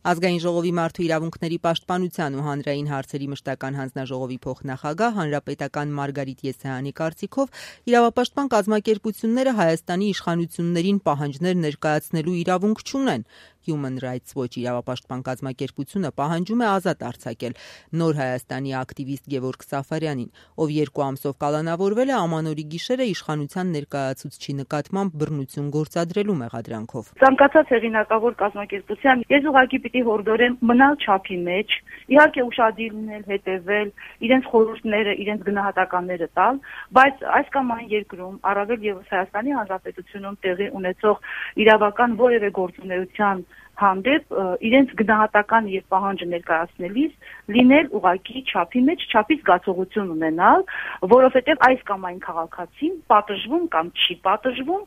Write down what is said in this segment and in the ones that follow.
Ազգային ժողովի մարդու իրավունքների պաշտպանության ու հանրային հարցերի մշտական հանձնաժողովի փոխնախագահ հանրապետական Մարգարիտ Եսայանի կարծիքով իրավապաշտպան կազմակերպությունները Հայաստանի իշխանություններին պահանջներ ներկայացնելու իրավունք չունեն։ Human Rights Watch իրավապաշտպան կազմակերպությունը պահանջում է ազատ արձակել Նոր Հայաստանի ակտիվիստ Գևորգ Սաֆարյանին, ով 2 ամսով կալանավորվել է Ամանորի գիշերը իշխանության ներկայացուցչի նկատմամբ բռնություն գործադրելու մեղադրանքով։ Ցանկացած հեղինակավոր կազմակերպության ես ուղղակի պիտի հորդորեմ մնալ չափի մեջ, իհարկե ուշադիր լինել, հետևել, իրենց խորհուրդները, իրենց գնահատականները տալ, բայց այս կամ այն երկրում, առավել եւս Հայաստանի Հանրապետությունում տեղի ունեցող իրավական որևէ գործունեության հանդեպ իրենց գնահատական եւ պահանջը ներկայացնելիս լինել ուղղակի չափի մեջ, չափի զգացողություն ունենալ, որովհետեւ այս կամ այն քաղաքացին պատժվում կամ չի պատժվում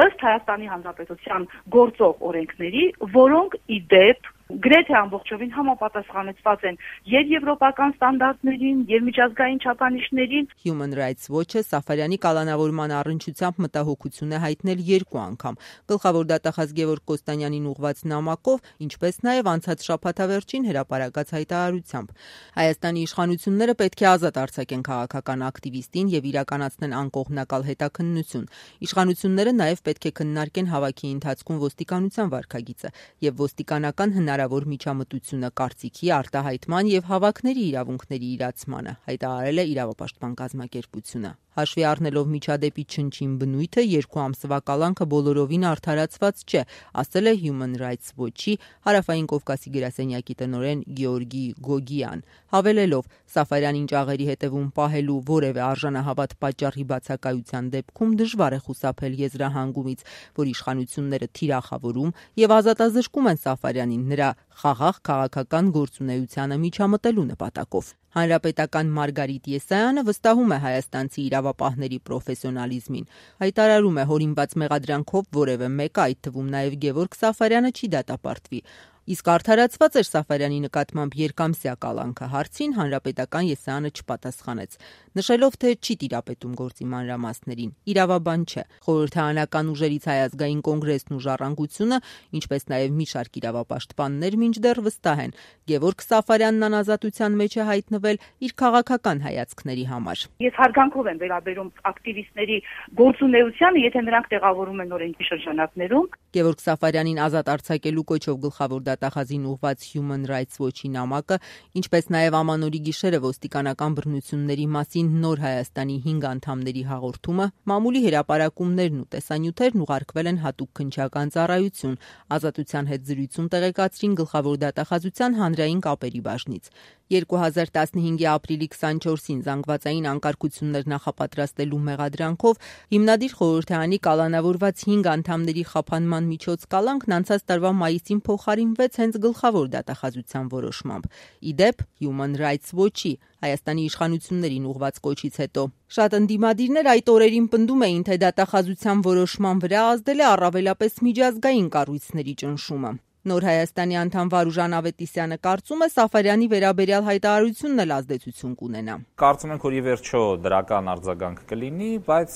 ըստ Հայաստանի Հանրապետության գործող օրենքների, որոնք ի դեպ գրեթե ամբողջովին համապատասխանեցված են եւ եվրոպական ստանդարտներին, եւ միջազգային չափանիշներին։ Human Rights Watch-ը Սաֆարյանի կալանավորման առնչությամբ մտահոգություն է հայտնել 2 անգամ։ Գլխավոր դատախազ Գևորգ Կոստանյանին ուղղված նամակով, ինչպես նաեւ անցած շաբաթավերջին հրապարակած հայտարարությամբ։ Հայաստանի իշխանությունները պետք է ազատ արձակեն քաղաքական ակտիվիստին եւ իրականացնեն անկողմնակալ հետաքննություն։ Իշխանությունները նաեւ պետք է քննարկեն հավաքի ընթացքում ոստիկանության վարքագիծը եւ ոստիկանական հնարավոր միջամտությունը կարծիքի արտահայտման եւ հավաքների իրավունքների իրացմանը, հայտարարել է իրավապաշտպան կազմակերպությունը։ Հաշվի առնելով միջադեպի չնչին բնույթը 2 ամսվա կալանքը բոլորովին արդարացված չէ, ասել է Human Rights Watch-ի Հարավային Կովկասի գրասենյակի տնօրեն Գեորգի Գոգիան, հավելելով Սաֆարյանին ճաղերի հետևում պահելու որևէ արժանահավատ պատճառի բացակայության դեպքում դժվար է խուսափել եզրահանգումից, որ իշխանությունները թիրախավորում եւ ազատազրկում են Սաֆարյանին նրա խաղաղ քաղաքական գործունեությանը միջամտելու նպատակով։ Հանրապետական Մարգարիտ Եսայանը վստահում է հայաստանցի իրավապահների պրոֆեսիոնալիզմին։ Հայտարարում է, հորինված մեղադրանքով որևէ մեկը, այդ թվում նաև Գևորգ Սաֆարյանը, չի դատապարտվի։ Իսկ արդարացված էր Սաֆարյանի նկատմամբ երկամսյա կալանքը, հարցին Հանրապետական Եսայանը չպատասխանեց, նշելով, թե չի տիրապետում գործի մանրամասներին։ Իրավաբան չէ։ Խորհրդարանական ուժերից Հայ ազգային կոնգրեսն ու Ժառանգությունը, ինչպես նաև մի շարք իրավապաշտպաններ մինչդեռ վստահ են, Գևորգ Սաֆարյանն անազատության մեջ է հայտնվել իր քաղաքական հայացքների համար։ Ես հարգանքով եմ վերաբերում ակտիվիստների գործունեությանը, եթե նրանք տեղավորում են օրենքի շրջանակներում։ Գևորգ Սաֆարյանին ազատ արձակելու կոչով գլխավոր դատախազին ուղղված Human Rights Watch-ի նամակը, ինչպես նաև Ամանորի գիշերը ոստիկանական բռնությունների մասին Նոր Հայաստանի 5 անդամների հաղորդումը, մամուլի հրապարակումներն ու տեսանյութերն ուղարկվել են հատուկ քննչական ծառայություն, ազատության հետ զրույցում տեղեկացրին գլխավոր դատախազության հանրային կապերի բաժնից։ 2015-ի ապրիլի 24-ին զանգվածային անկարգություններ նախապատրաստելու մեղադրանքով հիմնադիր խորհրդարանի կալանավորված 5 անդամների խափանման միջոց կալանքն անցած տարվա մայիսին փոխարինվեց հենց գլխավոր դատախազության որոշմամբ։ Ի դեպ, Human Rights Watch-ի Հայաստանի իշխանություններին ուղղված կոչից հետո շատ ընդդիմադիրներ այդ օրերին պնդում էին, թե դատախազության որոշման վրա ազդել է առավելապես միջազգային կառույցների ճնշումը։ Նոր Հայաստանի անդամ Վարուժան Ավետիսյանը կարծում է, Սաֆարյանի վերաբերյալ հայտարարությունն էլ ազդեցություն կունենա։ Կարծում ենք, որ ի վերջո դրական արձագանք կլինի, բայց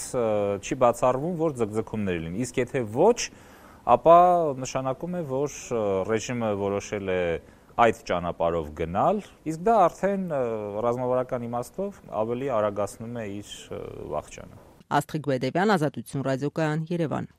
չի բացառվում, որ ձգձգումներ լինի։ Իսկ եթե ոչ, ապա նշանակում է, որ ռեժիմը որոշել է այդ ճանապարհով գնալ, իսկ դա արդեն ռազմավարական իմաստով ավելի արագացնում է իր վախճանը։ Աստղիկ Բեդևյան, Ազատություն ռադիոկայան, Երևան։